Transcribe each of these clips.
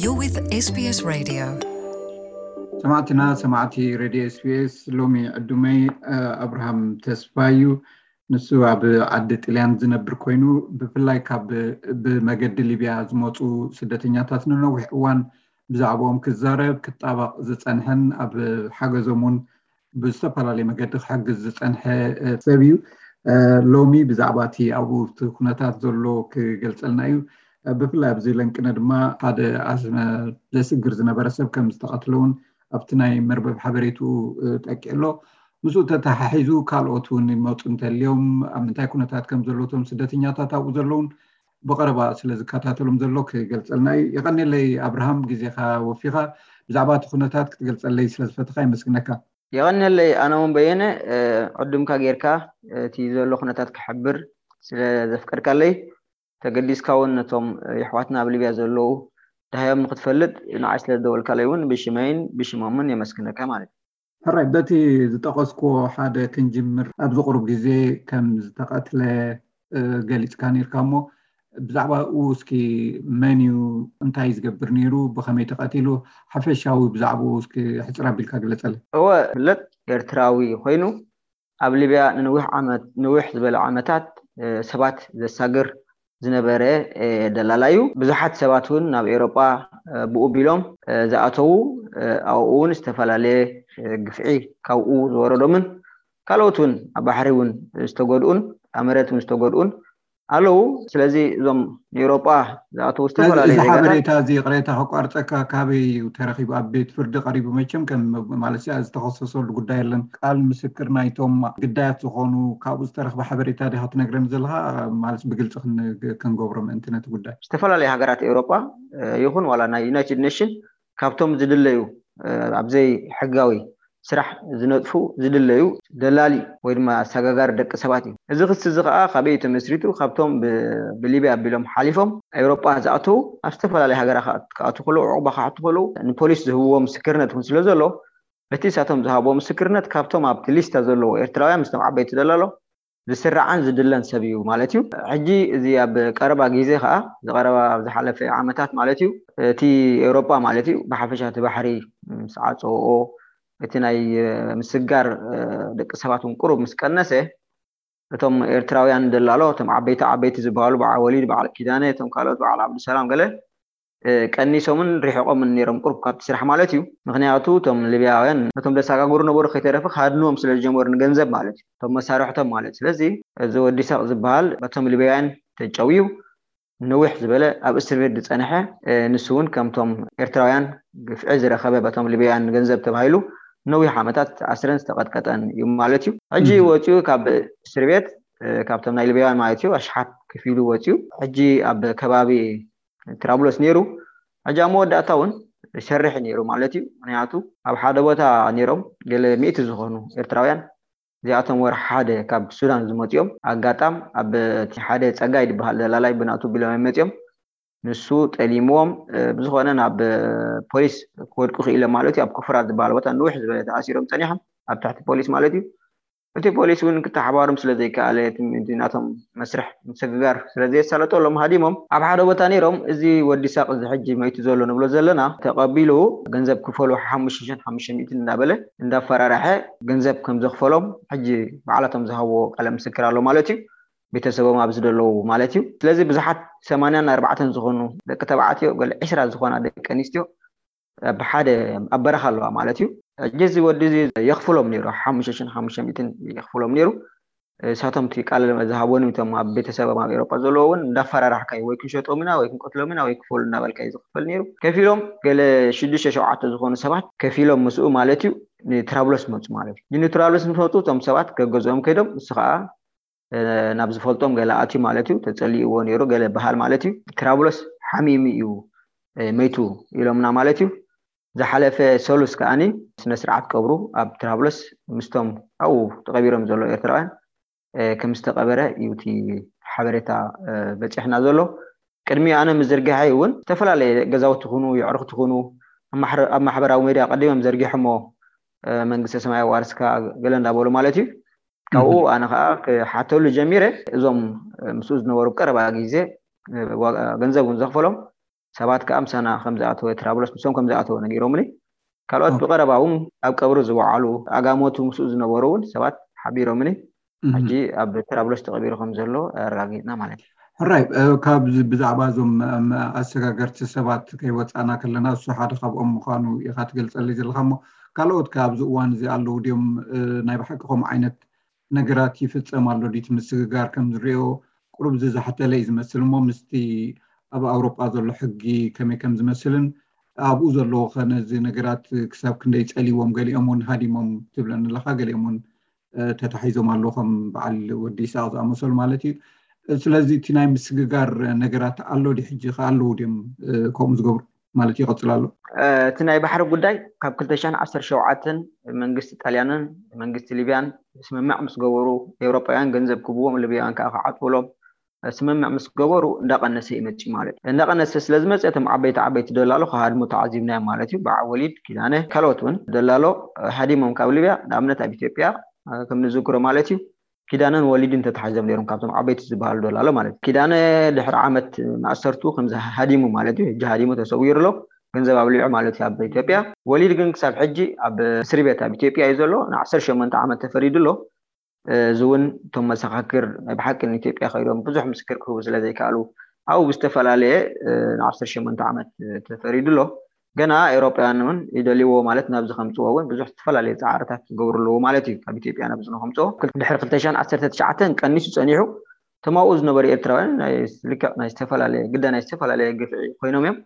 You're with SBS Radio. ሰማዕትና ሰማዕቲ ሬድዮ ኤስቢኤስ፣ ሎሚ ዕዱመይ ኣብርሃም ተስፋ እዩ። ንሱ ኣብ ዓዲ ጥልያን ዝነብር ኮይኑ፣ ብፍላይ ካብ ብመገዲ ሊብያ ዝመፁ ስደተኛታት ንነዊሕ እዋን ብዛዕባኦም ክዛረብ ክጣበቕ ዝፀንሐን ኣብ ሓገዞም እውን ብዝተፈላለየ መገዲ ክሕግዝ ዝፀንሐ ሰብ እዩ። ሎሚ ብዛዕባ እቲ ኣብኡ እቲ ኩነታት ዘሎ ክገልፀልና እዩ። ብፍላይ ኣብዚ ለንቅነ ድማ ሓደ ዘስግር ዝነበረ ሰብ ከም ዝተቐትለ እውን ኣብቲ ናይ መርበብ ሓበሬትኡ ጠቂዕሎ። ምስኡ ተተሓሒዙ ካልኦት እውን ይመፁ እንተልዮም ኣብ ምንታይ ኩነታት ከም ዘለውቶም ስደተኛታት ኣብኡ ዘለውን ብቐረባ ስለ ዝከታተሎም ዘሎ ክገልፀልና እዩ። የቐኔለይ ኣብርሃም፣ ግዜኻ ወፊኻ ብዛዕባ እቲ ኩነታት ክትገልፀለይ ስለ ዝፈትኻ ይመስግነካ። የቐኔለይ ኣነ እውን በየነ፣ ዕዱምካ ጌርካ እቲ ዘሎ ኩነታት ክሕብር ስለ ዘፍቀድካለይ፣ ተገዲስካ እውን ነቶም የሕዋትና ኣብ ሊብያ ዘለዉ ደሃዮም ንክትፈልጥ ንዓይ ስለ ዝደወልካለይ እውን ብሽመይን ብሽሞምን የመስግነካ ማለት እዩ። ሕራይ፣ በቲ ዝጠቐስክዎ ሓደ ክንጅምር። ኣብዚ ቁሩብ ግዜ ከም ዝተቐትለ ገሊፅካ ነይርካ እሞ፣ ብዛዕባኡ እስኪ መን እዩ፣ እንታይ ዝገብር ነይሩ፣ ብኸመይ ተቐቲሉ፣ ሓፈሻዊ ብዛዕባኡ እስኪ ሕፅር ኣቢልካ ግለፀለይ። እወ፣ ፍለጥ ኤርትራዊ ኮይኑ ኣብ ሊብያ ንንዊሕ ዓመት ንዊሕ ዝበለ ዓመታት ሰባት ዘሳግር ዝነበረ ደላላ እዩ። ብዙሓት ሰባት እውን ናብ ኤውሮጳ ብኡ ቢሎም ዝኣተዉ፣ ኣብኡ እውን ዝተፈላለየ ግፍዒ ካብኡ ዝወረዶምን ካልኦት እውን ኣብ ባሕሪ እውን ዝተጎድኡን ኣብ መሬት እውን ዝተጎድኡን ኣለዉ። ስለዚ እዞም ንኤውሮጳ ዝኣተዉ ዝተፈላለዩ ዜጋታት። ሓበሬታ እዚ ቅሬታ ከቋርፀካ ካበይ እዩ ተረኺቡ? ኣብ ቤት ፍርዲ ቀሪቡ? መቸም ከም ማለት ዝተኸሰሰሉ ጉዳይ የለን። ቃል ምስክር ናይቶም ግዳያት ዝኾኑ ካብኡ ዝተረኽበ ሓበሬታ ዲኻ ትነግረኒ ዘለኻ? ማለት ብግልፂ ክንገብሮ ምእንቲ ነቲ ጉዳይ። ዝተፈላለዩ ሃገራት ኤውሮጳ ይኹን ዋላ ናይ ዩናይትድ ኔሽን ካብቶም ዝድለዩ ኣብዘይ ሕጋዊ ስራሕ ዝነጥፉ ዝድለዩ ደላሊ ወይ ድማ ኣሰጋጋሪ ደቂ ሰባት እዩ። እዚ ክሲ እዚ ከዓ ካበይ እዩ ተመስሪቱ? ካብቶም ብሊብያ ኣቢሎም ሓሊፎም ኤውሮጳ ዝኣተዉ ኣብ ዝተፈላለዩ ሃገራ ክኣቱ ከለዉ፣ ዕቑባ ክሓቱ ከለዉ ንፖሊስ ዝህብዎ ምስክርነት እውን ስለ ዘሎ፣ በቲ ንሳቶም ዝሃብዎ ምስክርነት ካብቶም ኣብቲ ሊስታ ዘለዉ ኤርትራውያን ምስቶም ዓበይቲ ደላሎ ዝስራዕን ዝድለን ሰብ እዩ ማለት እዩ። ሕጂ እዚ ኣብ ቀረባ ግዜ ከዓ፣ ዝቀረባ ኣብ ዝሓለፈ ዓመታት ማለት እዩ፣ እቲ ኤውሮጳ ማለት እዩ ብሓፈሻ እቲ ባሕሪ ምስ ዓፀዎ፣ እቲ ናይ ምስጋር ደቂ ሰባት እውን ቁሩብ ምስ ቀነሰ፣ እቶም ኤርትራውያን ደላሎ፣ እቶም ዓበይቲ ዓበይቲ ዝበሃሉ በዓል ወሊድ፣ በዓል ኪዳነ፣ እቶም ካልኦት በዓል ዓብዱሰላም ገለ ቀኒሶምን ሪሕቆምን ነይሮም ቁሩብ ካብቲ ስራሕ ማለት እዩ። ምክንያቱ እቶም ሊብያውያን ነቶም ዘሰጋግሩ ነበሩ ከይተረፈ ካድንዎም ስለ ዝጀመሩ ንገንዘብ ማለት እዩ፣ እቶም መሳርሕቶም ማለት። ስለዚ እዚ ወዲ ሳቅ ዝበሃል በቶም ሊብያውያን ተጨውዩ ነዊሕ ዝበለ ኣብ እስር ቤት ዝጸንሐ፣ ንሱ እውን ከምቶም ኤርትራውያን ግፍዒ ዝረኸበ በቶም ሊብያውያን ንገንዘብ ተባሂሉ ነዊሕ ዓመታት ዝተኣስረን ዝተቐጥቀጠን እዩ ማለት እዩ። ሕጂ ወፂኡ ካብ እስር ቤት፣ ካብቶም ናይ ሊብያውያን ማለት እዩ ኣሽሓት ከፊሉ ወፂኡ። ሕጂ ኣብ ከባቢ ትራብሎስ ነይሩ። ሕጂ ኣብ መወዳእታ እውን ይሰርሕ ነይሩ ማለት እዩ። ምክንያቱ ኣብ ሓደ ቦታ ነይሮም ገለ ሚእቲ ዝኾኑ ኤርትራውያን፣ እዚኣቶም ወርሒ ሓደ ካብ ሱዳን ዝመፅኦም። ኣጋጣም ኣብ እቲ ሓደ ጸጋይ ዝበሃል ደላላይ ብናቱ ቢሎም እዮም መፅኦም። ንሱ ጠሊምዎም፣ ብዝኾነ ናብ ፖሊስ ክወድቁ ክኢሎም ማለት እዩ። ኣብ ኮፍራ ዝበሃል ቦታ ንውሕ ዝበለ ተኣሲሮም ጸኒሖም፣ ኣብ ትሕቲ ፖሊስ ማለት እዩ። እቲ ፖሊስ እውን ክተሓባበሮም ስለ ዘይከኣለ፣ እቲ ናቶም መስርሕ ምስግጋር ስለ ዘየሳለጠሎም ሃዲሞም ኣብ ሓደ ቦታ ነይሮም። እዚ ወዲ ሳቅ እዚ ሕጂ መይቱ ዘሎ ንብሎ ዘለና ተቐቢሉ ገንዘብ ክፈሉ ሓሙሽተ ሽሕን ሓሙሽተ ሚእትን እንዳበለ እንዳፈራረሐ ገንዘብ ከም ዘኽፈሎም ሕጂ ባዕላቶም ዝሃብዎ ቃለ ምስክር ኣሎ ማለት እዩ። ቤተሰቦም ኣብዚ ዘለዉ ማለት እዩ። ስለዚ ብዙሓት ሰማንያን ኣርባዕተን ዝኾኑ ደቂ ተባዕትዮ፣ ገለ ዕስራ ዝኾና ደቂ ኣንስትዮ ኣብ ሓደ ኣብ በረኻ ኣለዋ ማለት እዩ። ሕጂ እዚ ወዲ እዚ የኽፍሎም ነይሩ፣ ሓሙሽተ ሽሕን ሓሙሽተ ሚእትን የኽፍሎም ነይሩ። ንሳቶም እቲ ቃል ዝሃብዎም እቶም ኣብ ቤተሰቦም ኣብ ኤውሮጳ ዘለዉ እውን እንዳፈራራሕካዩ ወይ ክንሸጦም ኢና ወይ ክንቀትሎም ኢና ወይ ክፈሉ እናበልካዩ ዝኽፈል ነይሩ። ከፊሎም ገለ ሽዱሽተ ሸውዓተ ዝኾኑ ሰባት ከፊሎም ምስኡ ማለት እዩ ንትራብሎስ መፁ ማለት እዩ። ንትራብሎስ ምስ መፁ እቶም ሰባት ገገዝኦም ከይዶም ንሱ ከዓ ናብ ዝፈልጦም ገለ ኣትዩ ማለት እዩ። ተጸሊእዎ ነይሩ ገለ በሃል ማለት እዩ። ትራብሎስ ሓሚሙ እዩ መይቱ ኢሎምና ማለት እዩ። ዝሓለፈ ሰሉስ ከኣኒ ስነ ስርዓት ቀብሩ ኣብ ትራብሎስ ምስቶም ኣብኡ ተቐቢሮም ዘለዉ ኤርትራውያን ከም ዝተቐበረ እዩ እቲ ሓበሬታ በጺሕና ዘሎ። ቅድሚ ኣነ ምዝርጋሐይ እውን ዝተፈላለየ ገዛውቲ ይኹኑ የዕሩኽቲ ይኹኑ ኣብ ማሕበራዊ ሜድያ ቀዲሞም ዘርጊሖሞ፣ መንግስተ ሰማይ ኣዋርስካ ገለ እንዳበሉ ማለት እዩ። ካብኡ ኣነ ከዓ ክሓተሉ ጀሚረ። እዞም ምስኡ ዝነበሩ ቀረባ ግዜ ገንዘብ እውን ዘኽፈሎም ሰባት ከዓ ምሳና ከም ዝኣተወ፣ ትራብሎስ ምሶም ከም ዝኣተወ ነጊሮምኒ። ካልኦት ብቐረባ እውን ኣብ ቀብሩ ዝወዓሉ ኣጋሞቱ ምስኡ ዝነበሩ እውን ሰባት ሓቢሮምኒ። ሕጂ ኣብ ትራብሎስ ተቐቢሩ ከም ዘሎ ኣረጋጊጥና ማለት እዩ። ሕራይ፣ ካብ ብዛዕባ እዞም ኣሰጋገርቲ ሰባት ከይወፃና ከለና፣ እሱ ሓደ ካብኦም ምዃኑ ኢኻ ትገልፀለይ ዘለካ። እሞ ካልኦት ከ ኣብዚ እዋን እዚ ኣለዉ ድዮም? ናይ ብሓቂ ከምኡ ዓይነት ነገራት ይፍፀም ኣሎ ድዩ? እቲ ምስግጋር ከም ዝሪኦ ቁሩብ ዝዛሕተለ እዩ ዝመስል። እሞ ምስቲ ኣብ ኣውሮጳ ዘሎ ሕጊ ከመይ ከም ዝመስልን ኣብኡ ዘለዉ ከ ነዚ ነገራት ክሳብ ክንደይ ፀሊዎም፣ ገሊኦም እውን ሃዲሞም ትብለኒ ኣለካ፣ ገሊኦም እውን ተታሒዞም ኣለዉ፣ ከም በዓል ወዲ ይስቅ ዝኣመሰሉ ማለት እዩ። ስለዚ እቲ ናይ ምስግጋር ነገራት ኣሎ ድዩ? ሕጂ ከ ኣለዉ ድዮም ከምኡ ዝገብሩ ማለት ይቐፅል ኣሎ? እቲ ናይ ባሕሪ ጉዳይ ካብ ክልተ ሽሕን ዓሰርተ ሸውዓተን መንግስቲ ጣልያንን መንግስቲ ሊብያን ስምምዕ ምስ ገበሩ፣ ኤውሮጳውያን ገንዘብ ክብዎም፣ ሊብያውያን ከዓ ክዓፅውሎም ስምምዕ ምስ ገበሩ እንዳቐነሰ ይመፅእ ማለት እዩ። እንዳቐነሰ ስለ ዝመፀ እቶም ዓበይቲ ዓበይቲ ደላሎ ክሃድሙ ተዓዚብናዮም ማለት እዩ። በዓል ወሊድ ኪዳነ ካልኦት እውን ደላሎ ሃዲሞም ካብ ሊብያ፣ ንኣብነት ኣብ ኢትዮጵያ ከም ንዝክሮ ማለት እዩ፣ ኪዳነን ወሊድን ተታሒዞም ነይሮም ካብቶም ዓበይቲ ዝበሃሉ ደላሎ ማለት እዩ። ኪዳነ ድሕሪ ዓመት ማእሰርቱ ከም ሃዲሙ ማለት እዩ። ሕጂ ሃዲሙ ተሰዊሩ ኣሎ፣ ገንዘብ ኣብሊዑ ማለት እዩ ኣብ ኢትዮጵያ። ወሊድ ግን ክሳብ ሕጂ ኣብ እስሪ ቤት ኣብ ኢትዮጵያ እዩ ዘሎ። ንዓሰርተ ሸሞንተ ዓመት ተፈሪዱ ኣሎ። እዚ እውን እቶም መሰኻክር ናይ ብሓቂ ንኢትዮጵያ ከይዶም ብዙሕ ምስክር ክህቡ ስለ ዘይከኣሉ ኣብኡ ብዝተፈላለየ ንዓሰርተ ሸሞንተ ዓመት ተፈሪዱ ኣሎ። ገና ኤውሮጳውያን እውን ይደልይዎ ማለት ናብዚ ከምፅዎ እውን ብዙሕ ዝተፈላለዩ ፃዕርታት ዝገብሩ ኣለዎ ማለት እዩ። ካብ ኢትዮጵያ ናብዚ ንከምፅዎ ድሕሪ ክልተ ሽሕን ዓሰርተ ትሽዓተን ቀኒሱ ፀኒሑ እቶም ኣብኡ ዝነበሩ ኤርትራውያን ናይ ልክዕ ናይ ዝተፈላለየ ግዳ ናይ ዝተፈላለየ ግፍዒ ኮይኖም እዮም።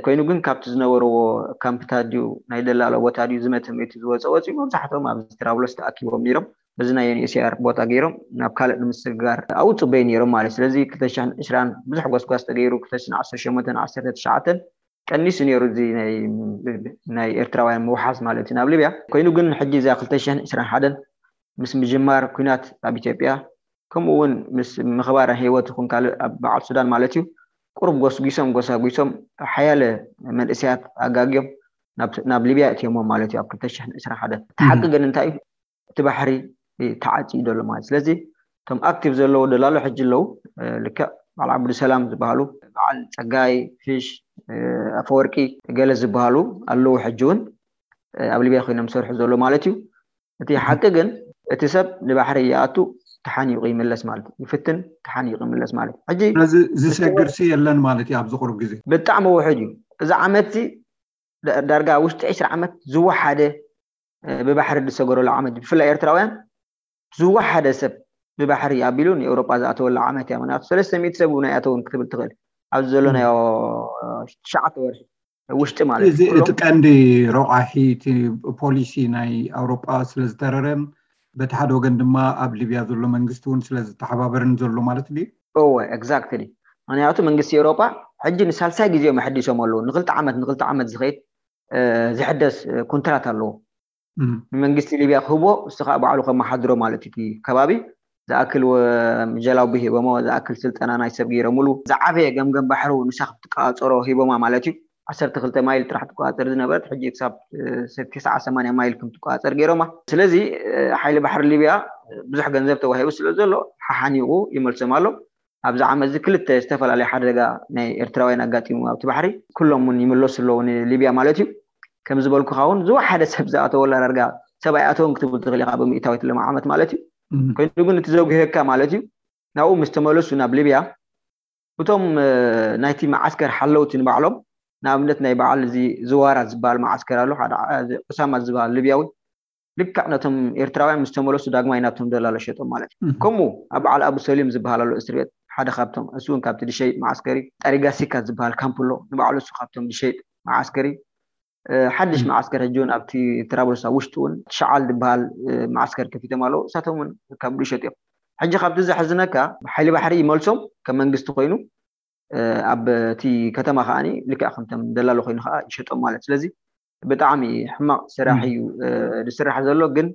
ኮይኑ ግን ካብቲ ዝነበርዎ ካምፕታት ድዩ ናይ ደላሎ ቦታ ድዩ ዝመተ መይቱ ዝወፀ ወፂኡ መብዛሕትኦም ኣብዚ ትራብሎስ ተኣኪቦም ነይሮም። በዚ ናይ ዩኤንኤችሲኣር ቦታ ገይሮም ናብ ካልእ ንምስግጋር ኣብኡ ፅበዩ ነይሮም ማለት እዩ። ስለዚ ክልተ ሽሕን ዕስራን ብዙሕ ጎስጓስ ተገይሩ ክልተ ሽሕን ዓሰርተ ሸሞንተን ዓሰርተ ትሽዓተን ቀኒሱ ነይሩ እዚ ናይ ኤርትራውያን ምውሓዝ ማለት እዩ ናብ ሊብያ። ኮይኑ ግን ሕጂ እዛ ክልተ ሽሕን ዕስራን ሓደን ምስ ምጅማር ኲናት ኣብ ኢትዮጵያ ከምኡ እውን ምስ ምኽባር ህይወት ይኹን ካልእ ኣብ በዓል ሱዳን ማለት እዩ ቁሩብ ጎስጒሶም ጎሳጒሶም ሓያለ መንእሰያት ኣጋግዮም ናብ ሊብያ እትዮሞም ማለት እዩ ኣብ ክልተ ሽሕን ዕስራን ሓደን። እቲ ሓቂ ግን እንታይ እዩ? እቲ ባሕሪ ተዓፂዩ ዘሎ ማለት ስለዚ እቶም ኣክቲቭ ዘለዉ ደላሎ ሕጂ ኣለዉ። ልክዕ በዓል ዓብዱሰላም ዝበሃሉ፣ በዓል ፀጋይ ፊሽ፣ ኣፈወርቂ ገለ ዝበሃሉ ኣለዉ ሕጂ እውን ኣብ ሊብያ ኮይኖም ዝሰርሑ ዘሎ ማለት እዩ። እቲ ሓቂ ግን እቲ ሰብ ንባሕሪ ይኣቱ ተሓኒቑ ይምለስ ማለት እዩ። ይፍትን ተሓኒቑ ይምለስ ማለት እዩ። ሕጂ ስለዚ ዝሰግር ሲ የለን ማለት እዩ ኣብዚ ቁሩብ ግዜ። ብጣዕሚ ውሑድ እዩ። እዚ ዓመት እዚ ዳርጋ ውሽጢ ዕስራ ዓመት ዝወሓደ ብባሕሪ ዝሰገረሉ ዓመት እዩ። ብፍላይ ኤርትራውያን ዝወሓደ ሰብ ብባሕሪ ኣቢሉ ንኤውሮጳ ዝኣተወላ ዓመት እያ። ምክንያቱ ሰለስተ ሚእቲ ሰብ እውን ኣይኣተውን ክትብል ትኽእል ኣብዚ ዘሎ ናይ ትሽዓተ ወርሒ ውሽጢ ማለት እዩ። እቲ ቀንዲ ረቋሒ እቲ ፖሊሲ ናይ ኣውሮጳ ስለ ዝተረረን በቲ ሓደ ወገን ድማ ኣብ ሊብያ ዘሎ መንግስቲ እውን ስለ ዝተሓባበርን ዘሎ ማለት ድዩ? እወ፣ ኤግዛክትሊ። ምክንያቱ መንግስቲ ኤውሮጳ ሕጂ ንሳልሳይ ግዜኦም ኣሐዲሶም ኣለዉ። ንክልተ ዓመት ንክልተ ዓመት ዝኸይድ ዝሕደስ ኮንትራት ኣለዎ። ንመንግስቲ ሊብያ ክህቦ፣ እሱ ከዓ ባዕሉ ከመሓድሮ ማለት እዩ። እቲ ከባቢ ዝኣክል ጀላቡ ሂቦሞ፣ ዝኣክል ስልጠና ናይ ሰብ ገይሮምሉ፣ ዝዓበየ ገምገም ባሕሩ ንሳ ክትቆፃፀሮ ሂቦማ ማለት እዩ። ዓሰርተ ክልተ ማይል ጥራሕ ትቆፃፀር ዝነበረት ሕጂ ክሳብ ትስዓ ሰማንያ ማይል ከም ትቆፃፀር ገይሮማ። ስለዚ ሓይሊ ባሕሪ ሊብያ ብዙሕ ገንዘብ ተዋሂቡ ስለ ዘሎ ሓሓኒቑ ይመልሶም ኣሎ። ኣብዚ ዓመት እዚ ክልተ ዝተፈላለየ ሓደጋ ናይ ኤርትራውያን ኣጋጢሙ ኣብቲ ባሕሪ፣ ኩሎም እውን ይምለሱ ኣለዉ ንሊብያ ማለት እዩ። ከም ዝበልኩኻ እውን ዝወሓደ ሰብ ዝኣተወላ ዳርጋ ሰብ ኣይኣተውን ክትብል ትኽእል ኢኻ ብምእታዊት ሎም ዓመት ማለት እዩ። ኮይኑ ግን እቲ ዘጉህየካ ማለት እዩ ናብኡ ምስ ተመለሱ ናብ ሊብያ እቶም ናይቲ መዓስከር ሓለውቲ ንባዕሎም ንኣብነት ናይ በዓል እዚ ዝዋራ ዝበሃል መዓስከር ኣሎ ሓደ ዑሳማ ዝበሃል ሊብያዊ ልክዕ ነቶም ኤርትራውያን ምስ ተመለሱ ዳግማይ ናብቶም ደላሎ ሸጦም ማለት እዩ። ከምኡ ኣብ በዓል ኣቡ ሰሊም ዝበሃል ኣሎ እስር ቤት ሓደ ካብቶም እሱ እውን ካብቲ ድሸይጥ መዓስከሪ ጠሪጋሲካ ዝበሃል ካምፕ ኣሎ ንባዕሉ እሱ ካብቶም ድሸይጥ መዓስከሪ ሓድሽ መዓስከር ሕጂ እውን ኣብቲ ትራብሎስ ኣብ ውሽጢ እውን ትሽዓል ዝበሃል መዓስከር ከፊቶም ኣለዉ እሳቶም እውን ካብ ድሸጥ እዮም። ሕጂ ካብቲ ዘሕዝነካ ሓይሊ ባሕሪ ይመልሶም ከም መንግስቲ ኮይኑ ኣብ እቲ ከተማ ከዓ ልክዕ ከምቶም ደላሎ ኮይኑ ከዓ ይሸጦም ማለት ስለዚ ብጣዕሚ ሕማቕ ስራሕ እዩ ዝስራሕ ዘሎ። ግን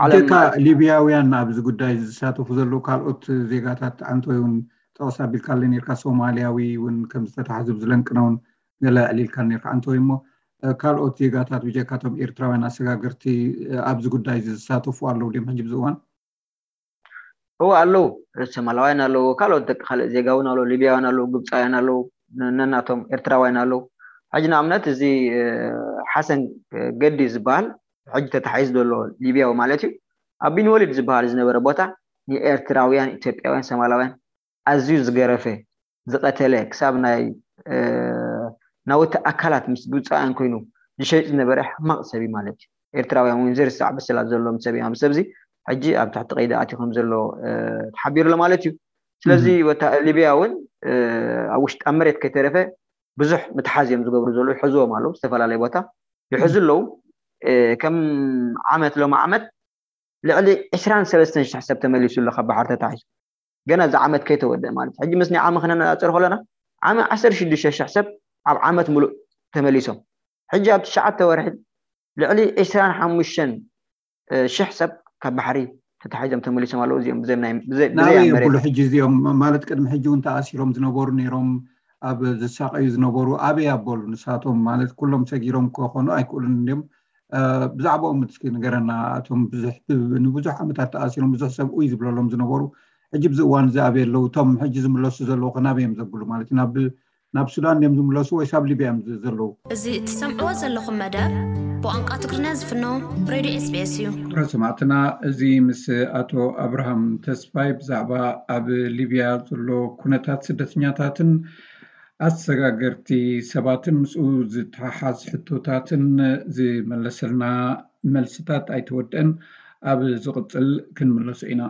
ብጀካ ሊብያውያን ኣብዚ ጉዳይ ዝሳተፉ ዘለዉ ካልኦት ዜጋታት ኣንቶይ እውን ጠቕስ ኣቢልካለ ነርካ ሶማልያዊ እውን ከም ዝተታሕዙ ዝለንቅነውን ገለ ኣዕሊልካ ነርካ ኣንቶይ እሞ ካልኦት ዜጋታት ብጀካቶም ኤርትራውያን ኣሰጋገርቲ ኣብዚ ጉዳይ ዝሳተፉ ኣለዉ ድም ሕጂ ብዝእዋን? እዎ ኣለዉ። ሶማላውያን ኣለዉ፣ ካልኦት ደቂ ካልእ ዜጋ እውን ኣለዉ፣ ሊብያውያን ኣለዉ፣ ግብፃውያን ኣለዉ፣ ነናቶም ኤርትራውያን ኣለዉ። ሕጂ ንኣብነት እዚ ሓሰን ገዲ ዝበሃል ሕጂ ተታሒዝ ዘሎ ሊብያዊ ማለት እዩ፣ ኣብ ቢንወሊድ ዝበሃል ዝነበረ ቦታ ንኤርትራውያን፣ ኢትዮጵያውያን፣ ሶማላውያን ኣዝዩ ዝገረፈ፣ ዝቐተለ፣ ክሳብ ናይ ናውቲ ኣካላት ምስ ግብፃውያን ኮይኑ ዝሸይጥ ዝነበረ ሕማቕ ሰብ እዩ ማለት እዩ። ኤርትራውያን እውን ዘይርሳዕ በሰላት ዘለዎም ሰብ እዮም። ኣብዚ ሰብዚ ሕጂ ኣብ ትሕቲ ቀይዲ ኣትዩ ከም ዘሎ ተሓቢሩ ኣሎ ማለት እዩ። ስለዚ ወታ ሊብያ እውን ኣብ ውሽጢ ኣብ መሬት ከይተረፈ ብዙሕ ምትሓዝ እዮም ዝገብሩ ዘለዉ። ይሕዝዎም ኣለዉ ዝተፈላለየ ቦታ ይሕዙ ኣለዉ። ከም ዓመት ሎሚ ዓመት ልዕሊ ዕስራን ሰለስተን ሽሕ ሰብ ተመሊሱ ኣሎ ካብ ባሕሪ ተታሒዙ። ገና እዚ ዓመት ከይተወደአ ማለት ሕጂ ምስ ናይ ዓሚ ክነነፃፅር ከለና ዓሚ ዓሰርተ ሽዱሽተ ሽሕ ሰብ ኣብ ዓመት ሙሉእ ተመሊሶም። ሕጂ ኣብ ትሽዓተ ወርሒ ልዕሊ ዕስራን ሓሙሽተን ሽሕ ሰብ ካብ ባሕሪ ተታሒዞም ተመሊሶም ኣለዉ። እዚኦም ብዘይ ናይ ብዘይ ብዘይ ናበይ ኣብ መሬት የብሉ ሕጂ እዚኦም ማለት ቅድሚ ሕጂ እውን ተኣሲሮም ዝነበሩ ነይሮም ኣብ ዝሳቀዩ ዝነበሩ ኣበይ ኣበሉ ንሳቶም ማለት ኩሎም ሰጊሮም ክኾኑ ኣይክእሉን እንዲም ብዛዕባኦም እስኪ ንገረና። እቶም ብዙሕ ንብዙሕ ዓመታት ተኣሲሮም ብዙሕ ሰብ ኡይ ዝብለሎም ዝነበሩ ሕጂ ብዚ እዋን እዚ ኣበይ ኣለዉ? እቶም ሕጂ ዝምለሱ ዘለዉ ከ ናበይ እዮም ዘብሉ ማለት እዩ? ናብ ናብ ሱዳን እዮም ዝምለሱ ወይስ ኣብ ሊብያ እዮም ዘለዉ? እዚ እትሰምዕዎ ዘለኹም መደብ ብቋንቋ ትግርኛ ዝፍኖ ሬድዮ ኤስቢኤስ እዩ። ክቡራት ሰማዕትና፣ እዚ ምስ ኣቶ ኣብርሃም ተስፋይ ብዛዕባ ኣብ ሊብያ ዘሎ ኩነታት ስደተኛታትን ኣሰጋገርቲ ሰባትን ምስኡ ዝተሓሓዝ ሕቶታትን ዝመለሰልና መልስታት ኣይተወደአን። ኣብ ዝቕጽል ክንምለሶ ኢና።